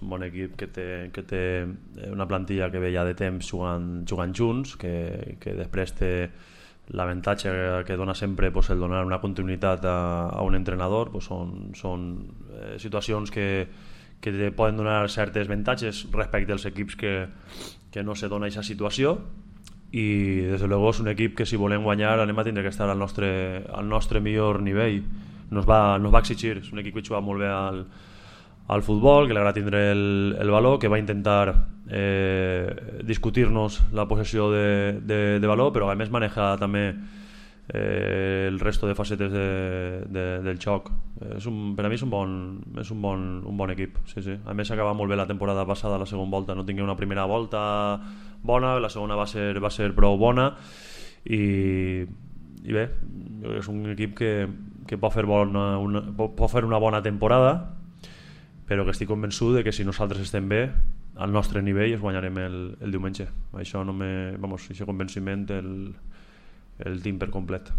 un bon equip que té una plantilla que ve ja de temps jugant junts, que després té l'avantatge que dona sempre el donar una continuïtat a un entrenador. Són situacions que poden donar certes avantatges respecte als equips que no se dona aquesta situació, i des de luego és un equip que si volem guanyar anem a tindre que estar al nostre millor nivell. Nos va exigir. És un equip que juga molt bé al futbol, que li agrada tindre el valor, que va intentar discutir-nos la possessió de valor, però a més maneja també el resto de facetes del joc. Per a mi és un bon equip, sí. A més acaba molt bé la temporada passada, la segona volta. No tingué una primera volta bona, la segona va ser prou bona, i bé, és un equip que pot fer una bona temporada, però que estic convençut de que si nosaltres estem bé al nostre nivell es guanyarem el diumenge. Això aquest convenciment el tinc per complet.